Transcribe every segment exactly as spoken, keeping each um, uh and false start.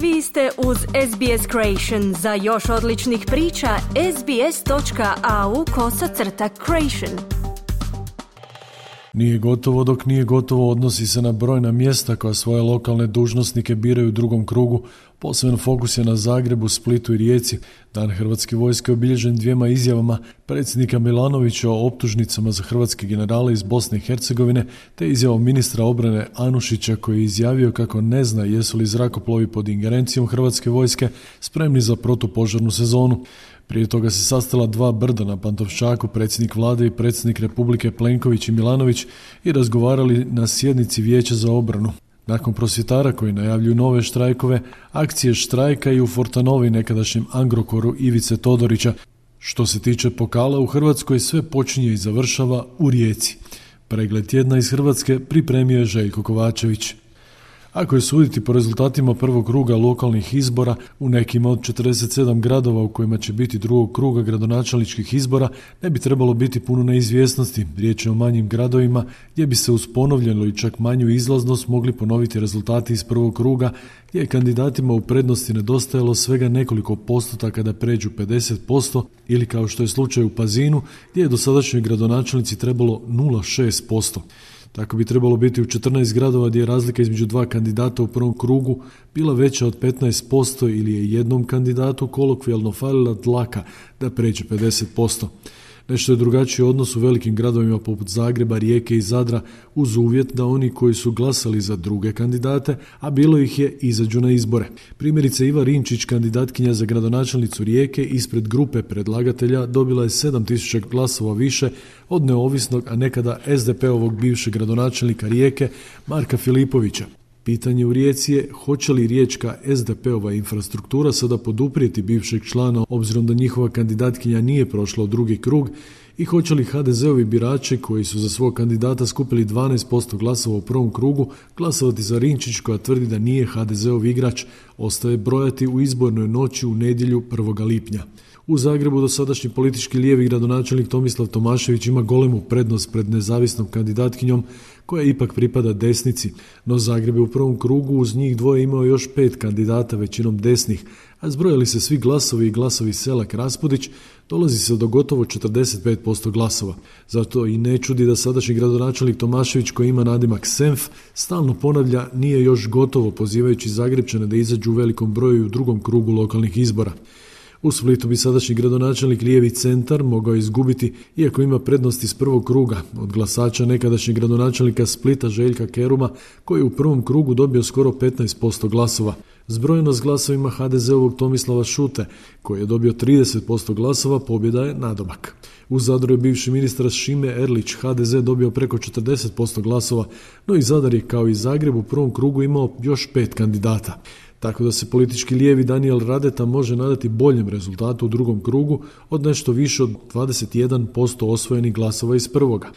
Vi ste uz S B S Creation. Za još odličnih priča, sbs.au kosacrta creation. Nije gotovo dok nije gotovo odnosi se na brojna mjesta koja svoje lokalne dužnosnike biraju u drugom krugu. Posebno fokus je na Zagrebu, Splitu i Rijeci. Dan Hrvatske vojske obilježen dvijema izjavama predsjednika Milanovića o optužnicama za hrvatske generale iz Bosne i Hercegovine, te izjavom ministra obrane Anušića koji je izjavio kako ne zna jesu li zrakoplovi pod ingerencijom Hrvatske vojske spremni za protupožarnu sezonu. Prije toga se sastala dva brda na Pantovčaku, predsjednik vlade i predsjednik Republike Plenković i Milanović i razgovarali na sjednici Vijeća za obranu. Nakon prosvjetara koji najavljuju nove štrajkove, akcije štrajka i u Fortanovi, nekadašnjem Agrokoru Ivice Todorića. Što se tiče pokala, u Hrvatskoj sve počinje i završava u Rijeci. Pregled tjedna iz Hrvatske pripremio je Željko Kovačević. Ako je suditi po rezultatima prvog kruga lokalnih izbora, u nekima od četrdeset sedam gradova u kojima će biti drugog kruga gradonačelničkih izbora, ne bi trebalo biti puno neizvjesnosti. Riječ je o manjim gradovima gdje bi se uz ponovljenu i čak manju izlaznost mogli ponoviti rezultati iz prvog kruga, gdje je kandidatima u prednosti nedostajalo svega nekoliko postotaka da pređu pedeset posto ili kao što je slučaj u Pazinu, gdje je dosadašnjoj gradonačelnici trebalo nula zarez šest posto. Tako bi trebalo biti u četrnaest gradova gdje je razlika između dva kandidata u prvom krugu bila veća od petnaest posto ili je jednom kandidatu kolokvijalno falila dlaka da pređe pedeset posto. Nešto je drugačiji odnos u velikim gradovima poput Zagreba, Rijeke i Zadra uz uvjet da oni koji su glasali za druge kandidate, a bilo ih je, izađu na izbore. Primjerice Iva Rinčić, kandidatkinja za gradonačelnicu Rijeke, ispred grupe predlagatelja dobila je sedam tisuća glasova više od neovisnog, a nekada S D P-ovog bivšeg gradonačelnika Rijeke Marka Filipovića. Pitanje u Rijeci je hoće li riječka S D P-ova infrastruktura sada poduprijeti bivšeg člana obzirom da njihova kandidatkinja nije prošla u drugi krug i hoće li H D Z-ovi birači koji su za svog kandidata skupili dvanaest posto glasova u prvom krugu glasovati za Rinčić koja tvrdi da nije H D Z-ov igrač, ostaje brojati u izbornoj noći u nedjelju prvog lipnja. U Zagrebu dosadašnji politički lijevi gradonačelnik Tomislav Tomašević ima golemu prednost pred nezavisnom kandidatkinjom koja ipak pripada desnici, no Zagreb je u prvom krugu uz njih dvoje imao još pet kandidata, većinom desnih, a zbrojali se svi glasovi i glasovi Selak Raspudić, dolazi se do gotovo četrdeset pet posto glasova. Zato i ne čudi da sadašnji gradonačelnik Tomašević koji ima nadimak Senf stalno ponavlja nije još gotovo, pozivajući Zagrepčane da izađu u velikom broju u drugom krugu lokalnih izbora. U Splitu bi sadašnji gradonačelnik lijevi centar mogao izgubiti, iako ima prednost iz prvog kruga, od glasača nekadašnjeg gradonačelnika Splita Željka Keruma, koji je u prvom krugu dobio skoro petnaest posto glasova. Zbrojeno s glasovima H D Z-ovog Tomislava Šute, koji je dobio trideset posto glasova, pobjeda je nadomak. U Zadru je bivši ministar Šime Erlić H D Z dobio preko četrdeset posto glasova, no i Zadar je kao i Zagreb u prvom krugu imao još pet kandidata. Tako da se politički lijevi Danijel Radeta može nadati boljem rezultatu u drugom krugu od nešto više od dvadeset jedan posto osvojenih glasova iz prvoga.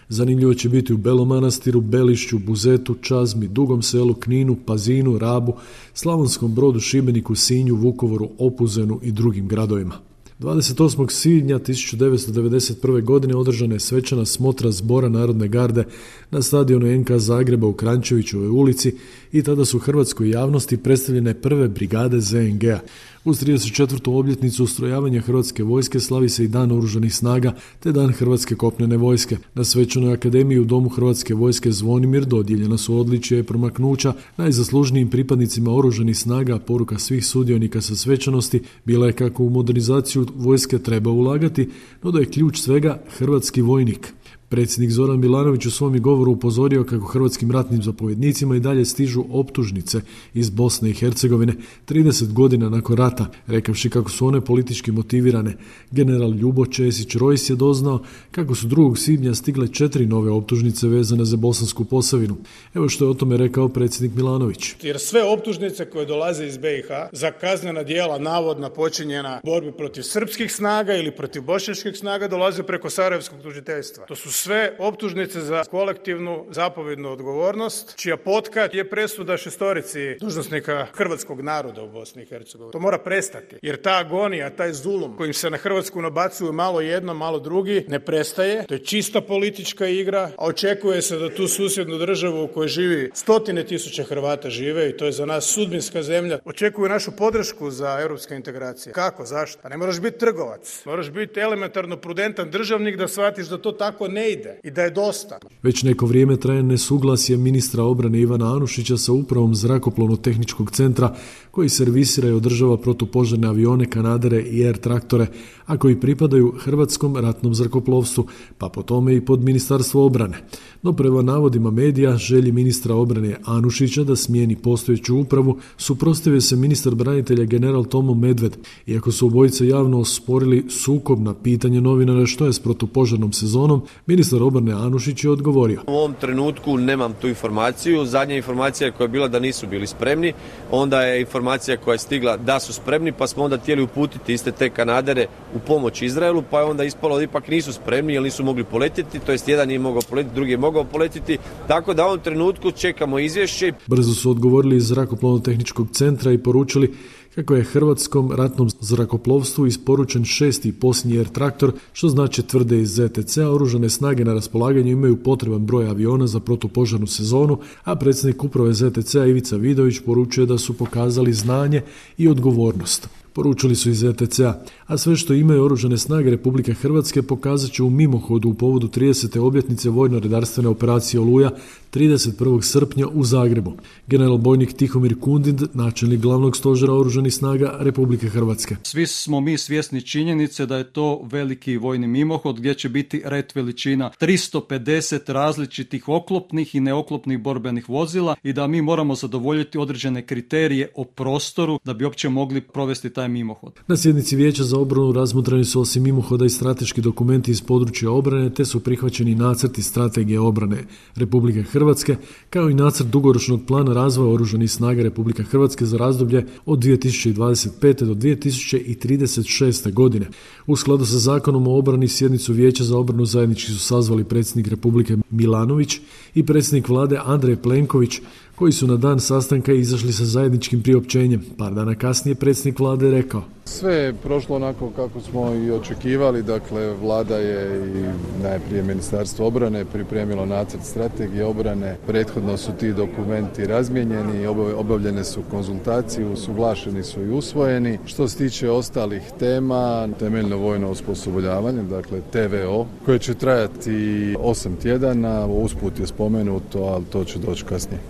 Zanimljivo će biti u Belom Manastiru, Belišću, Buzetu, Čazmi, Dugom Selu, Kninu, Pazinu, Rabu, Slavonskom Brodu, Šibeniku, Sinju, Vukovaru, Opuzenu i drugim gradovima. dvadeset osmog svibnja tisuću devetsto devedeset prve. godine održana je svečana smotra Zbora Narodne garde na stadionu N K Zagreba u Krančevićevoj ulici i tada su hrvatskoj javnosti predstavljene prve brigade Z N G-a. Uz trideset četvrtu obljetnicu ustrojavanja Hrvatske vojske slavi se i Dan oružanih snaga te Dan Hrvatske kopnene vojske. Na svečanoj akademiji u Domu Hrvatske vojske Zvonimir dodijeljena su odličja i promaknuća najzaslužnijim pripadnicima oružanih snaga, a poruka svih sudionika sa svečanosti bila je kako u modernizaciju vojske treba ulagati, no da je ključ svega hrvatski vojnik. Predsjednik Zoran Milanović u svom je govoru upozorio kako hrvatskim ratnim zapovjednicima i dalje stižu optužnice iz Bosne i Hercegovine trideset godina nakon rata, rekavši kako su one politički motivirane. General Ljubo Česić-Rojs je doznao kako su drugog svibnja stigle četiri nove optužnice vezane za Bosansku Posavinu. Evo što je o tome rekao predsjednik Milanović. Jer sve optužnice koje dolaze iz B i H za kaznena djela navodno počinjena borbi protiv srpskih snaga ili protiv bošnjačkih snaga dolaze preko sarajevskog tužiteljstva. To su sve optužnice za kolektivnu zapovjednu odgovornost, čija potka je presuda šestorici dužnosnika hrvatskog naroda u Bosni i Hercegovini. To mora prestati, jer ta agonija, taj zulum kojim se na Hrvatsku nabacuju malo jedno, malo drugi, ne prestaje. To je čista politička igra, a očekuje se da tu susjednu državu u kojoj živi stotine tisuća Hrvata žive i to je za nas sudbinska zemlja, očekuju našu podršku za europske integracije. Kako? Zašto? Pa ne moraš biti trgovac. Moraš biti elementarno prudentan državnik da shvatiš da to tako ne ide i da je dosta. Već neko vrijeme traje nesuglasje ministra obrane Ivana Anušića sa upravom Zrakoplovno-tehničkog centra koji servisira i održava protupožarne avione, kanadere i air traktore, a koji pripadaju Hrvatskom ratnom zrakoplovstvu, pa po tome i pod Ministarstvo obrane. No prema navodima medija, želji ministra obrane Anušića da smijeni postojeću upravu, suprotstavio se ministar branitelja general Tomo Medved, iako su obojice javno osporili sukob na pitanje novinara što je s protupožarnom sezonom, ministar obrane Anušić je odgovorio. U ovom trenutku nemam tu informaciju, zadnja informacija koja je bila da nisu bili spremni, onda je informacija koja je stigla da su spremni, pa smo onda htjeli uputiti iste te kanadere u pomoć Izraelu, pa je onda ispalo da ipak nisu spremni jer nisu mogli poletjeti, to jest jedan nije mogao poletjeti, drugi je mogao poletjeti, tako da u ovom trenutku čekamo izvješće. Brzo su odgovorili iz Zrakoplovno-tehničkog centra i poručili kako je Hrvatskom ratnom zrakoplovstvu isporučen šesti i posljednji air traktor, što znači tvrde iz Z T C-a, oružane snage na raspolaganju imaju potreban broj aviona za protupožarnu sezonu, a predsjednik uprave Z T C-a Ivica Vidović poručuje da su pokazali znanje i odgovornost. Poručili su iz Z T C-a, a sve što imaju oružane snage Republike Hrvatske pokazat će u mimohodu u povodu tridesete obljetnice vojno-redarstvene operacije Oluja trideset prvog srpnja u Zagrebu. General bojnik Tihomir Kundin, načelnik glavnog stožera oružanih snaga Republike Hrvatske. Svi smo mi svjesni činjenice da je to veliki vojni mimohod gdje će biti red veličina tristo pedeset različitih oklopnih i neoklopnih borbenih vozila i da mi moramo zadovoljiti određene kriterije o prostoru da bi uopće mogli provesti taj mimohod. Na sjednici Vijeća za obranu razmotreni su osim mimohoda i strateški dokumenti iz područja obrane, te su prihvaćeni nacrti strategije obrane Republike Hrvatske, kao i nacrt dugoročnog plana razvoja oružanih snaga Republike Hrvatske za razdoblje od dvije tisuće dvadeset pete do dvije tisuće trideset šeste. godine. U skladu sa Zakonom o obrani sjednicu Vijeća za obranu zajednički su sazvali predsjednik Republike Milanović i predsjednik vlade Andrej Plenković, koji su na dan sastanka izašli sa zajedničkim priopćenjem. Par dana kasnije predsjednik vlade rekao: Sve je prošlo onako kako smo i očekivali, dakle vlada je i najprije Ministarstvo obrane pripremilo nacrt strategije obrane, prethodno su ti dokumenti razmijenjeni, obavljene su konzultacije, usuglašeni su i usvojeni. Što se tiče ostalih tema, temeljno vojno osposobljavanje, dakle T V O, koje će trajati osam tjedana, usput je spomenuto, ali to će doći kasnije.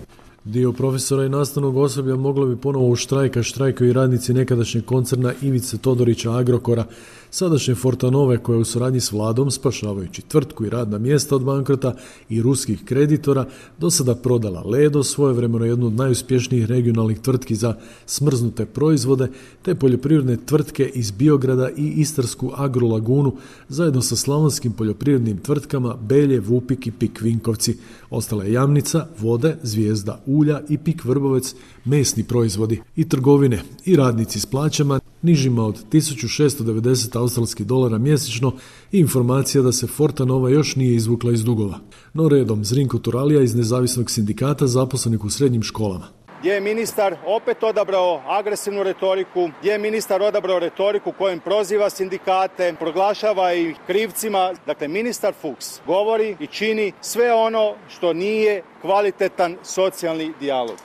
Dio profesora i nastavnog osoblja moglo bi ponovo u štrajka štrajkaju i radnici nekadašnjeg koncerna Ivice Todorića Agrokora, sadašnje Fortanove koja u suradnji s vladom, spašavajući tvrtku i radna mjesta od bankrota i ruskih kreditora, do sada prodala Ledo, svojevremeno jednu od najuspješnijih regionalnih tvrtki za smrznute proizvode, te poljoprivredne tvrtke iz Biograda i Istarsku Agrolagunu, zajedno sa slavonskim poljoprivrednim tvrtkama Belje, Vupik i Pik Vinkovci. Ostala je Jamnica, Vode, Zvijezda ulja i Pik Vrbovec, mesni proizvodi i trgovine i radnici s plaćama nižima od tisuću šesto devedeset australskih dolara mjesečno i informacija da se Fortanova još nije izvukla iz dugova. No redom, Zrinko Turalija iz nezavisnog sindikata zaposlenih u srednjim školama. Gdje je ministar opet odabrao agresivnu retoriku, gdje je ministar odabrao retoriku kojom proziva sindikate, proglašava ih krivcima. Dakle, ministar Fuchs govori i čini sve ono što nije kvalitetan socijalni dijalog.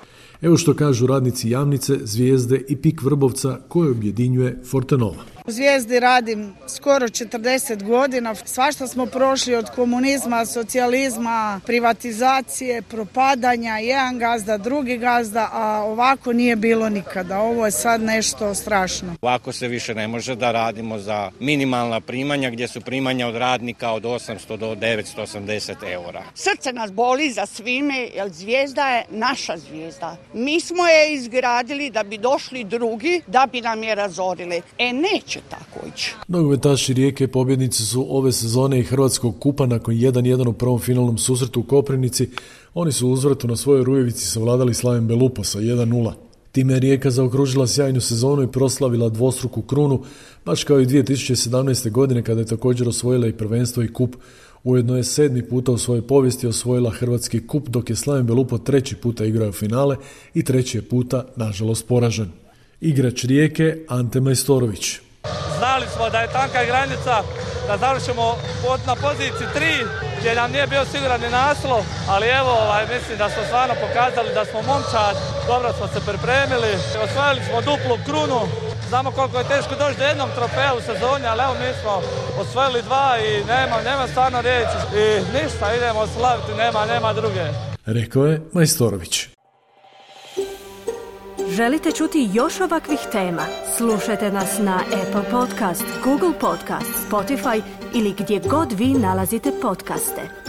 Evo što kažu radnici Jamnice, Zvijezde i Pik Vrbovca koje objedinjuje Fortanova. U Zvijezdi radim skoro četrdeset godina, svašta smo prošli od komunizma, socijalizma, privatizacije, propadanja, jedan gazda, drugi gazda, a ovako nije bilo nikada. Ovo je sad nešto strašno. Ovako se više ne može da radimo za minimalna primanja, gdje su primanja od radnika od osamsto do devetsto osamdeset eura. Srce nas boli za svime, jer Zvijezda je naša Zvijezda. Mi smo je izgradili da bi došli drugi, da bi nam je razorili. E neće tako ići. Nogometaši Rijeke pobjednici su ove sezone i Hrvatskog kupa nakon jedan jedan u prvom finalnom susretu u Koprivnici. Oni su u uzvratu na svojoj Rujevici savladali Slaven Belupo sa jedan nula. Time je Rijeka zaokružila sjajnu sezonu i proslavila dvostruku krunu, baš kao i dvije tisuće sedamnaeste. godine kada je također osvojila i prvenstvo i kup. Ujedno je sedmi puta u svojoj povijesti osvojila hrvatski kup, dok je Slaven Belupo treći puta igrao finale i treći je puta, nažalost, poražen. Igrač Rijeke Ante Majstorović. Znali smo da je tanka granica, da završimo na poziciji tri, gdje nam nije bio siguran ni naslov, ali evo, ovaj, mislim da smo stvarno pokazali da smo momčad, dobro smo se pripremili, osvojili smo duplu krunu, znamo koliko je teško doći do jednog trofeja u sezoni, ali evo mi smo osvojili dva i nema, nema stvarno riječi i ništa, idemo slaviti, nema, nema druge. Rekao je Majstorović. Želite čuti još ovakvih tema? Slušajte nas na Apple Podcast, Google Podcast, Spotify ili gdje god vi nalazite podcaste.